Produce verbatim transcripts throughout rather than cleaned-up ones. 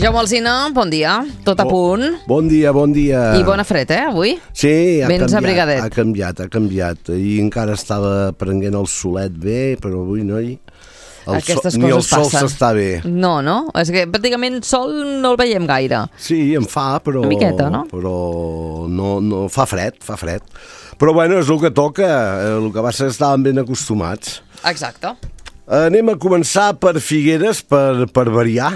Jaume Alsina, bon dia, tot a punt. Bon dia, bon dia. I bona fred, eh, avui? Sí, ha Vens canviat, abrigadet. ha canviat, ha canviat. I encara estava prenent el solet bé, però avui no hi... El Aquestes sol, ni el coses sol passen. s'està bé. No, no? És que pràcticament sol no el veiem gaire. Sí, en fa, però... Una miqueta, no? Però no, no, fa fred, fa fred. Però bueno, és el que toca, el que va ser que estàvem ben acostumats. Exacte. Anem a començar per Figueres, per, per variar,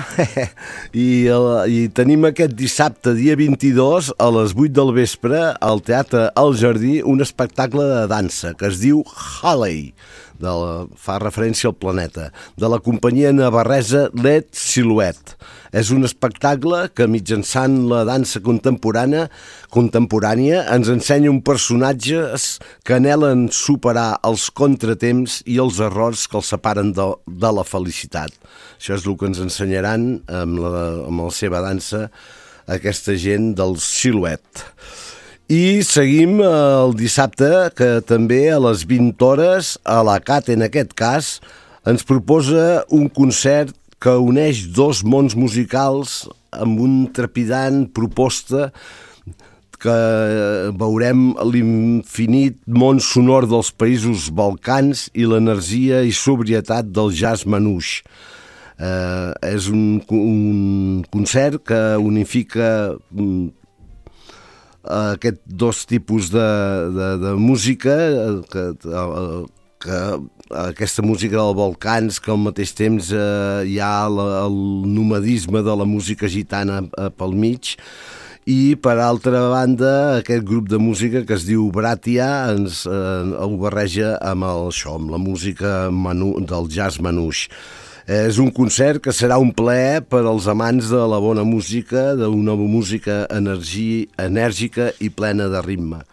I, el, i tenim aquest dissabte, dia vint-i-dos, a les vuit del vespre, al Teatre El Jardí, un espectacle de dansa que es diu Halley, de la, fa referència al planeta, de la companyia navarresa Led Silhouette. És un espectacle que mitjançant la dansa contemporània, contemporània ens ensenya un personatges que anhelen superar els contratemps i els errors que els separen de, de la felicitat. Això és el que ens ensenyaran amb la, amb la seva dansa aquesta gent del Silhouette. I seguim el dissabte, que també a les vint hores, a la C A T, en aquest cas, ens proposa un concert que uneix dos mons musicals amb un trepidant proposta que veurem l'infinit món sonor dels països balcans i l'energia i sobrietat del jazz manouche. Eh, és un, un concert que unifica aquest dos tipus de, de, de música, que, que aquesta música dels Balcans, que al mateix temps eh, hi ha la, el nomadisme de la música gitana eh, pel mig, i per altra banda aquest grup de música que es diu Bratia ens eh, ho barreja amb el, això, amb la música manu, del jazz manouche. És un concert que serà un plaer per als amants de la bona música, d'una música energia, enèrgica i plena de ritme.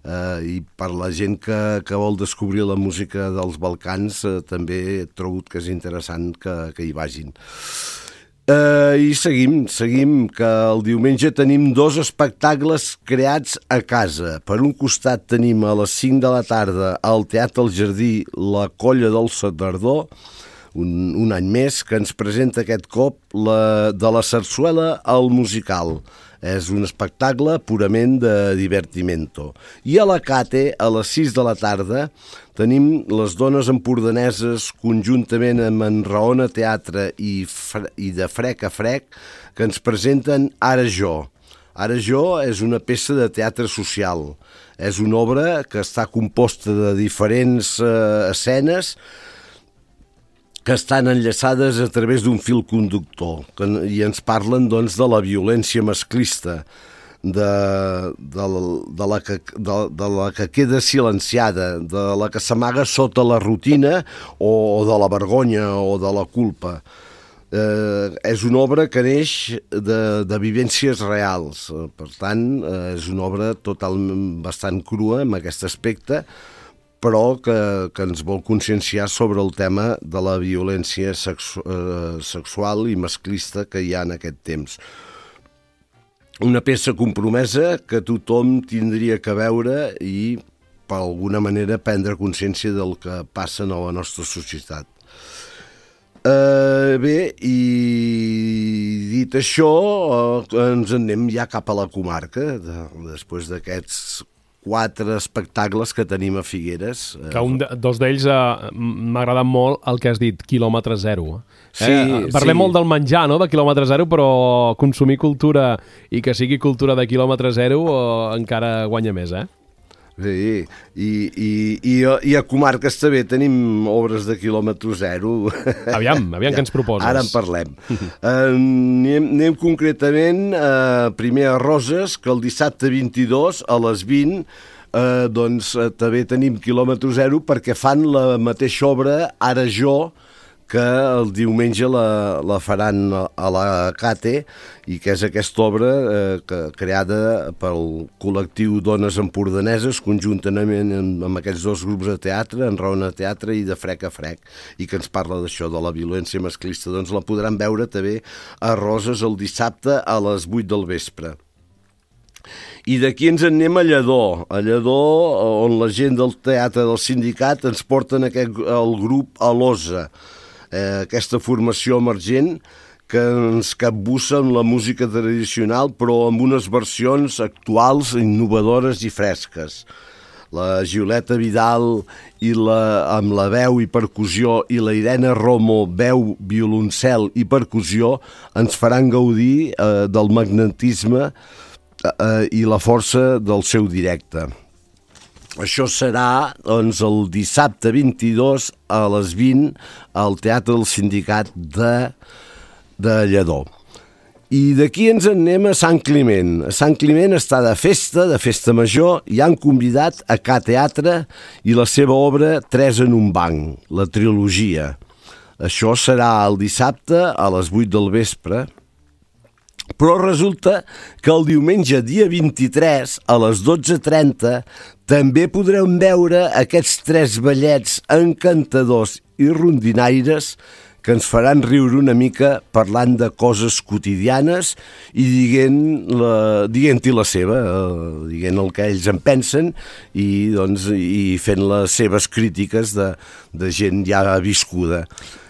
Uh, I per la gent que, que vol descobrir la música dels Balcans uh, també he trobat que és interessant que, que hi vagin. Uh, I seguim, seguim, que el diumenge tenim dos espectacles creats a casa. Per un costat tenim a les cinc de la tarda al Teatre El Jardí La Colla del Setardó, Un, un any més, que ens presenta aquest cop la, de la sarsuela al musical. És un espectacle purament de divertimento. I a la C A T, a les sis de la tarda, tenim les dones empordaneses conjuntament amb en Raona Teatre i, i de Frec a Frec, que ens presenten Ara jo. Ara jo és una peça de teatre social. És una obra que està composta de diferents eh, escenes que estan enllaçades a través d'un fil conductor, que, i ens parlen doncs, de la violència masclista, de, de, de, la que, de, de la que queda silenciada, de la que s'amaga sota la rutina o de la vergonya o de la culpa. Eh, és una obra que neix de, de vivències reals, per tant, eh, és una obra totalment bastant crua en aquest aspecte, però que, que ens vol conscienciar sobre el tema de la violència sexu eh, sexual i masclista que hi ha en aquest temps. Una peça compromesa que tothom tindria que veure i, per alguna manera, prendre consciència del que passa a la nostra societat. Eh, bé, i dit això, eh, ens anem ja cap a la comarca, de, després d'aquests quatre espectacles que tenim a Figueres. Que un de, dos d'ells eh, m'ha agradat molt el que has dit, quilòmetre zero. Sí, eh, parlem sí. molt del menjar, no?, de quilòmetre zero, però consumir cultura i que sigui cultura de quilòmetre zero eh, encara guanya més, eh? Sí, i, i, i, i a comarques també tenim obres de quilòmetre zero. Aviam, aviam ja, què ens proposes. Ara en parlem. uh, anem, anem concretament uh, primer a Roses, que el dissabte vint-i-dos a les vint uh, doncs uh, també tenim quilòmetre zero perquè fan la mateixa obra Ara jo, que el diumenge la, la faran a la C A T, i que és aquesta obra eh, que, creada pel col·lectiu Dones Empordaneses conjuntament amb, amb aquests dos grups de teatre, en Raona Teatre i de Frec a Frec, i que ens parla d'això, de la violència masclista. Doncs la podran veure també a Roses el dissabte a les vuit del vespre. I d'aquí ens en anem a Lledó, a Lledó, on la gent del teatre del sindicat ens porten aquest, el grup Alosa, eh, aquesta formació emergent que ens capbussa amb la música tradicional, però amb unes versions actuals, innovadores i fresques. La Gioleta Vidal i la, amb la veu i percussió i la Irene Romo, veu, violoncel i percussió, ens faran gaudir eh, del magnetisme eh, i la força del seu directe. Això serà doncs, el dissabte vint-i-dos a les vint al Teatre del Sindicat de, de Lledó. I d'aquí ens en anem a Sant Climent. A Sant Climent està de festa, de festa major, i han convidat a Ca Teatre i la seva obra Tres en un banc, la trilogia. Això serà el dissabte a les vuit del vespre, però resulta que el diumenge dia vint-i-tres a les dotze trenta també podreu veure aquests tres ballets encantadors i rondinaires que ens faran riure una mica parlant de coses quotidianes i dient-hi la, dient la seva, eh, dient el que ells en pensen i, doncs, i fent les seves crítiques de, de gent ja viscuda.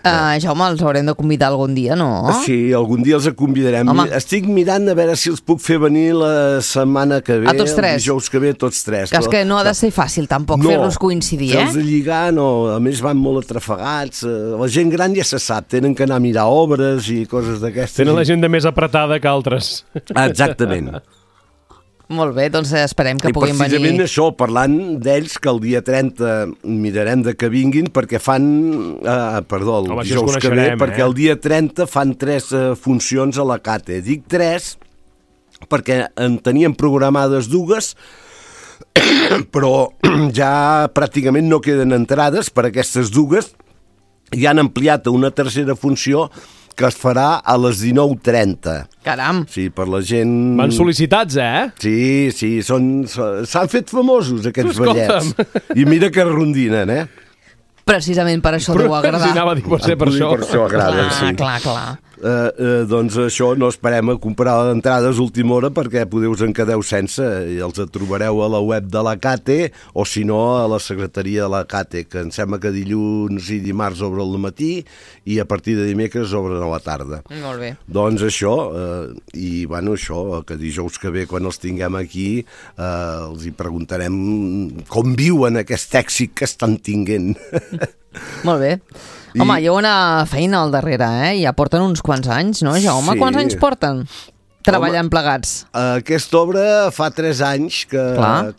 Uh, Jaume, els haurem de convidar algun dia, no? Sí, algun dia els convidarem. Home. Estic mirant a veure si els puc fer venir la setmana que ve, a tots tres. El dijous que ve, tots tres. Que és que no ha de ser fàcil tampoc no, fer-los coincidir, eh? Fer-los lligar, no. A més van molt atrafegats. La gent gran ja se sap, tenen que anar a mirar obres i coses d'aquestes. Tenen la gent de més apretada que altres. Exactament. Molt bé, doncs esperem que I puguin venir. I precisament això, parlant d'ells, que el dia trenta mirarem de que vinguin, perquè fan... Eh, perdó, el Home, dijous que ve, eh? perquè el dia trenta fan tres eh, funcions a la Cate. Dic tres perquè en teníem programades dues, però ja pràcticament no queden entrades per aquestes dues, i han ampliat a una tercera funció que es farà a les dinou trenta. Caram! Sí, per la gent... Van sol·licitats, eh? Sí, sí, són, s'han fet famosos aquests Escolta'm. ballets. I mira que rondinen, eh? Precisament per això deu agradar. Si anava a dir, pot ser per això. Per això agrada, clar, sí. clar, clar. Eh, eh, doncs això, no esperem a comprar d'entrades a última hora perquè podeu us en quedeu sense i els trobareu a la web de la Cate o si no a la secretaria de la Cate, que em sembla que dilluns i dimarts obre al matí i a partir de dimecres obren a la tarda. Molt bé. Doncs això, eh, i bueno, això, que dijous que ve quan els tinguem aquí eh, els hi preguntarem com viuen aquest èxit que estan tinguent. Molt bé. I... Home, hi ha una feina al darrere, eh? Ja porten uns quants anys, no, Jaume? Sí. Quants anys porten treballant plegats? Aquesta obra fa tres anys que,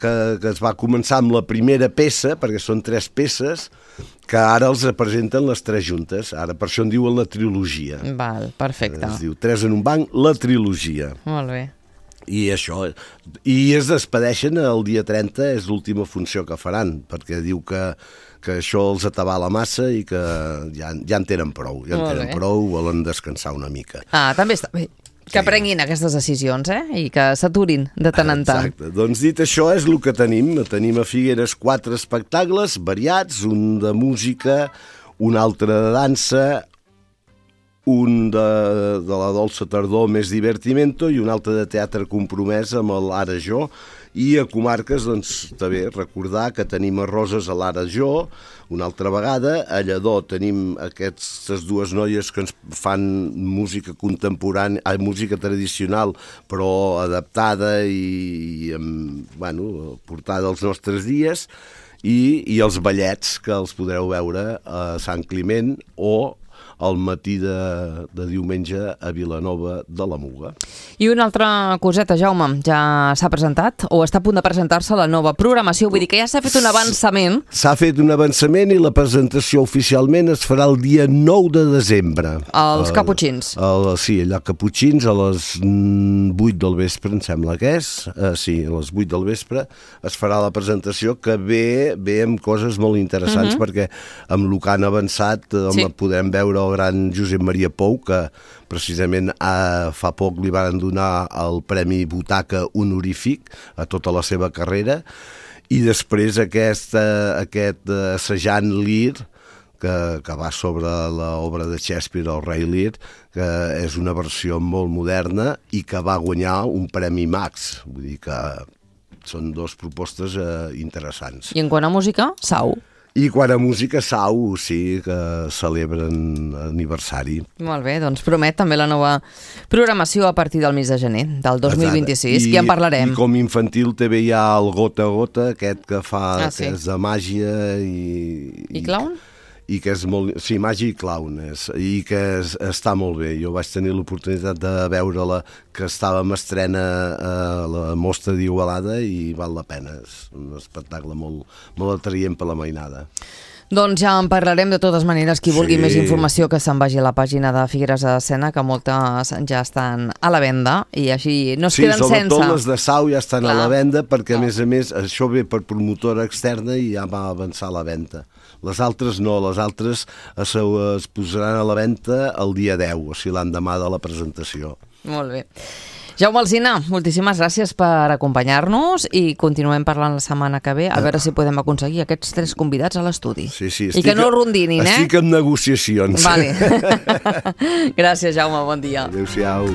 que, que es va començar amb la primera peça, perquè són tres peces, que ara els presenten les tres juntes. Ara per això en diuen la trilogia. Val, perfecte. Es diu Tres en un banc, la trilogia. Molt bé. I això, i es despedeixen el dia trenta, és l'última funció que faran, perquè diu que, que això els atabala massa i que ja, ja en tenen prou, ja en Molt tenen bé. prou, volen descansar una mica. Ah, també està bé. Que prenguin aquestes decisions, eh? I que s'aturin de tant en tant. Exacte. Doncs dit això és el que tenim. Tenim a Figueres quatre espectacles variats, un de música, un altre de dansa, un de, de la dolça tardor més divertimento i un altre de teatre compromès amb l'Ara Jo. I a comarques, doncs, també recordar que tenim a Roses a l'Ara Jo, una altra vegada. A Lledó tenim aquestes dues noies que ens fan música contemporània, eh, música tradicional, però adaptada i, i amb, bueno, portada als nostres dies. I, i els ballets, que els podreu veure a Sant Climent o al matí de, de diumenge a Vilanova de la Muga. I una altra coseta, Jaume, ja s'ha presentat o està a punt de presentar-se la nova programació? Vull dir que ja s'ha fet un avançament. S'ha fet un avançament i la presentació oficialment es farà el dia nou de desembre. Els Caputxins. El, sí, allà Caputxins a les vuit del vespre, em sembla que és. Uh, sí, a les vuit del vespre es farà la presentació, que ve, ve amb coses molt interessants, uh-huh. perquè amb el que han avançat home, sí. podem veure el gran Josep Maria Pou, que precisament eh, fa poc li van donar el Premi Butaca honorífic a tota la seva carrera, i després aquest, eh, aquest assajant Lear, que, que va sobre l'obra de Shakespeare, el rei Lear, que és una versió molt moderna i que va guanyar un Premi Max. Vull dir que són dues propostes eh, interessants. I en quant a música, Sau. I quan a música, Sau, sí, que celebren aniversari. Molt bé, doncs promet també la nova programació a partir del mes de gener del dos mil vint-i-sis, i en parlarem. I com infantil també hi ha el Gota a Gota, aquest que fa, ah, sí. que és de màgia i... I clown? I que és molt... Sí, màgia i clown, és, i que és, està molt bé. Jo vaig tenir l'oportunitat de veure-la, que estava en estrena a la Mostra d'Igualada i val la pena. És un espectacle molt, molt atraient per la mainada. Doncs ja en parlarem de totes maneres. Qui vulgui sí. més informació que se'n vagi a la pàgina de Figueres a Escena, que moltes ja estan a la venda i així no es sí, queden sense. Sí, sobretot les de Sau ja estan Clar. a la venda perquè, a no. més a més, això ve per promotora externa i ja va avançar la venda. Les altres no, les altres es, es posaran a la venda el dia deu, o sigui, l'endemà de la presentació. Molt bé. Jaume Alsina, moltíssimes gràcies per acompanyar-nos i continuem parlant la setmana que ve a veure si podem aconseguir aquests tres convidats a l'estudi. Sí, sí, I que no rondinin, eh? Estic en negociacions. Vale. Gràcies, Jaume, bon dia. Adéu-siau.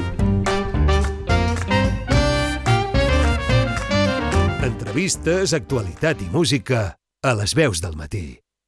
Entrevistes, actualitat i música a les veus del matí.